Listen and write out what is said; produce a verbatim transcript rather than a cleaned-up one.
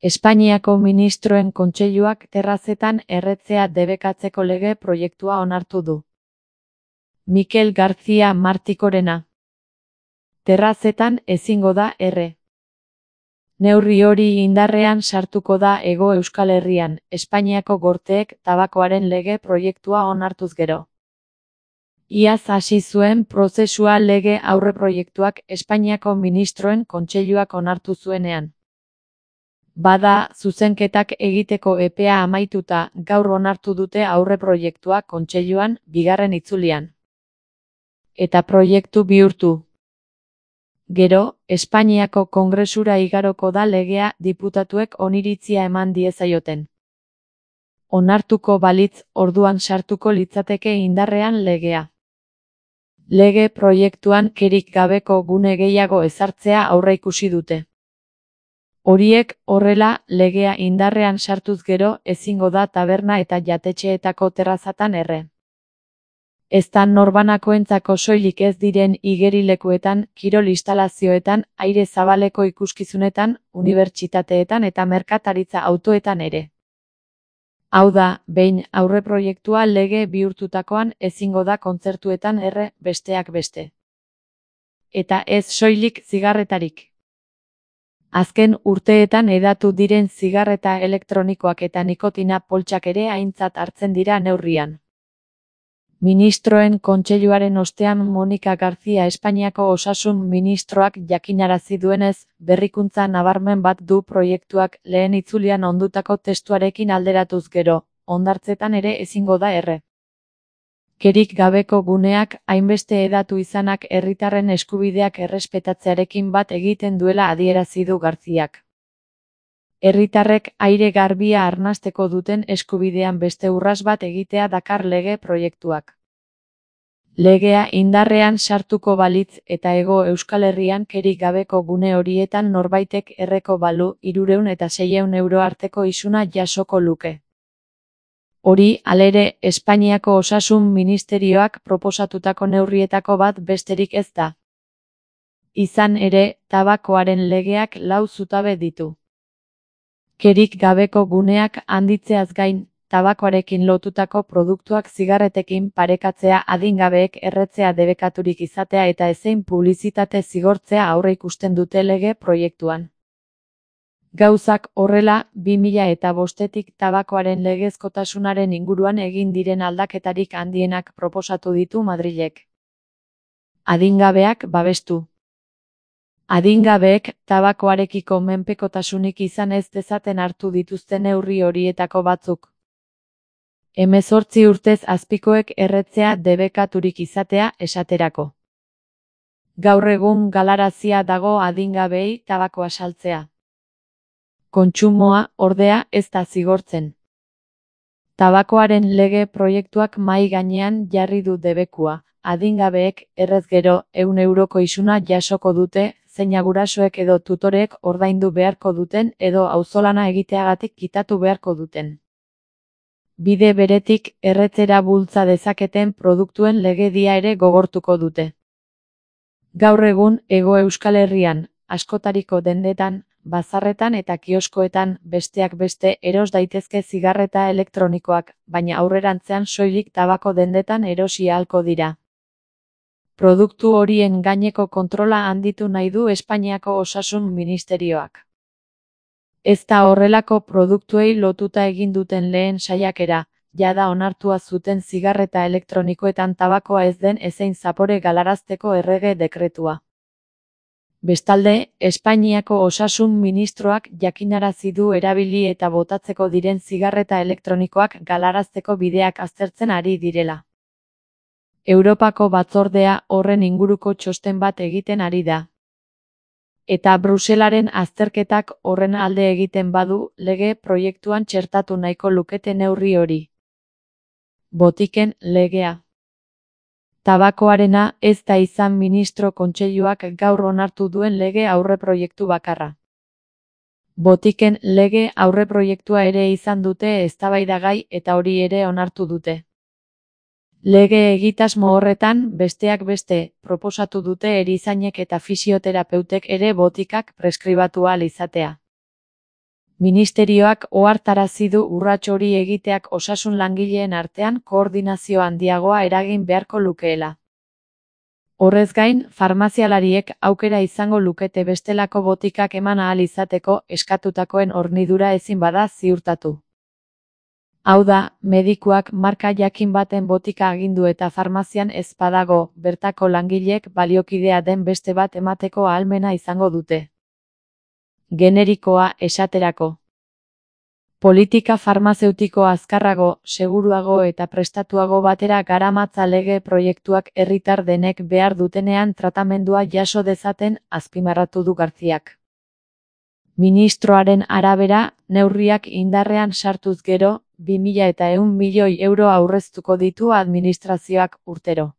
Espainiako Ministroen Kontseiluak terrazetan erretzea debekatzeko lege proiektua onartu du. Mikel García Martikorena. Terrazetan ezingo da erre. Neurri hori indarrean sartuko da Hego Euskal Herrian, Espainiako Gorteek tabakoaren lege proiektua onartuz gero. Iaz hasi zuen prozesua lege aurreproiektuak Espainiako Ministroen Kontseiluak onartu zuenean. Bada, zuzenketak egiteko epea amaituta, gaur onartu dute aurreproiektua Kontseiluan, bigarren itzulian. Eta proiektu bihurtu. Gero, Espainiako Kongresura igaroko da legea diputatuek oniritzia eman diezaioten. Onartuko balitz, orduan sartuko litzateke indarrean legea. Lege proiektuan kerik gabeko gune gehiago ezartzea aurreikusi dute. Horiek, horrela, legea indarrean sartuz gero ezingo da taberna eta jatetxeetako terrazatan erre. Ezta norbanakoentzako soilik ez diren igerilekuetan, kirol instalazioetan, aire zabaleko ikuskizunetan, unibertsitateetan eta merkataritza autoetan ere. Hau da, behin aurreproiektua lege bihurtutakoan ezingo da kontzertuetan erre, besteak beste. Eta ez soilik zigarretarik. Azken urteetan hedatu diren zigarreta elektronikoak eta nikotina poltsak ere aintzat hartzen dira neurrian. Ministroen Kontseiluaren ostean Monika García Espainiako Osasun Ministroak jakinarazi duenez, berrikuntza nabarmen bat du proiektuak lehen itzulian ondutako testuarekin alderatuz gero, hondartzetan ere ezingo da erre. Kerik gabeko guneak hainbeste hedatu izanak herritarren eskubideak errespetatzearekin bat egiten duela adierazi du Garziak. Herritarrek aire garbia arnasteko duten eskubidean beste urras bat egitea dakar lege proiektuak. Legea indarrean sartuko balitz eta Hego Euskal Herrian kerik gabeko gune horietan norbaitek erreko balu hirurehun eta seiehun euro arteko isuna jasoko luke. Hori, halere, Espainiako Osasun Ministerioak proposatutako neurrietako bat besterik ez da. Izan ere, tabakoaren legeak lau zutabe ditu. Kerik gabeko guneak handitzeaz gain, tabakoarekin lotutako produktuak zigarretekin parekatzea adingabeek erretzea debekaturik izatea eta ezein publizitate zigortzea aurreikusten dute lege proiektuan. Gauzak horrela, bi mila eta bostetik tabakoaren legezkotasunaren inguruan egin diren aldaketarik handienak proposatu ditu Madrilek. Adingabeak babestu. Adingabeek tabakoarekiko menpekotasunik izan ez dezaten hartu dituzten neurri horietako batzuk. Hemezortzi urtez azpikoek erretzea debekaturik izatea esaterako. Gaur egun galarazia dago adingabeei tabakoa saltzea. Kontsumoa, ordea, ez da zigortzen. Tabakoaren lege proiektuak mahai gainean jarri du debekua, adingabeek errez gero ehun euroko isuna jasoko dute, zeina gurasoek edo tutorek ordaindu beharko duten edo auzolana egiteagatik kitatu beharko duten. Bide beretik, erretzera bultza dezaketen produktuen legedia ere gogortuko dute. Gaur egun, Hego Euskal Herrian, askotariko dendetan, bazarretan eta kioskoetan, besteak beste eros daitezke zigarreta elektronikoak, baina aurrerantzean soilik tabako dendetan erosi ahalko dira. Produktu horien gaineko kontrola handitu nahi du Espainiako Osasun Ministerioak. Ez da horrelako produktuei lotuta egin duten lehen saiakera, jada onartua zuten zigarreta elektronikoetan tabakoa ez den ezein zapore galarazteko errege dekretua. Bestalde, Espainiako Osasun Ministroak jakinarazi du erabili eta botatzeko diren zigarreta elektronikoak galarazteko bideak aztertzen ari direla. Europako batzordea horren inguruko txosten bat egiten ari da. Eta Bruselaren azterketak horren alde egiten badu, lege proiektuan txertatu nahiko lukete neurri hori. Botiken legea. Tabakoarena ez da izan Ministro Kontseiluak gaur onartu duen lege aurreproiektu bakarra. Botiken lege aurreproiektua ere izan dute eztabaidagai eta hori ere onartu dute. Lege egitasmo horretan, besteak beste, proposatu dute erizainek eta fisioterapeutek ere botikak preskribatu ahal izatea. Ministerioak ohartarazi du urrats hori egiteak osasun langileen artean koordinazio handiagoa eragin beharko lukeela. Horrez gain, farmazialariek aukera izango lukete bestelako botikak eman ahal izateko eskatutakoen hornidura ezin bada ziurtatu. Hau da, medikuak marka jakin baten botika agindu eta farmazian ez badago, bertako langileek baliokidea den beste bat emateko ahalmena izango dute. Generikoa, esaterako. Politika farmazeutiko azkarrago, seguruago eta prestatuago batera garamatza lege proiektuak herritar denek behar dutenean tratamendua jaso dezaten, azpimarratu du Garziak. Ministroaren arabera, neurriak indarrean sartuz gero, bi mila eta ehun milioi euro aurreztuko ditu administrazioak urtero.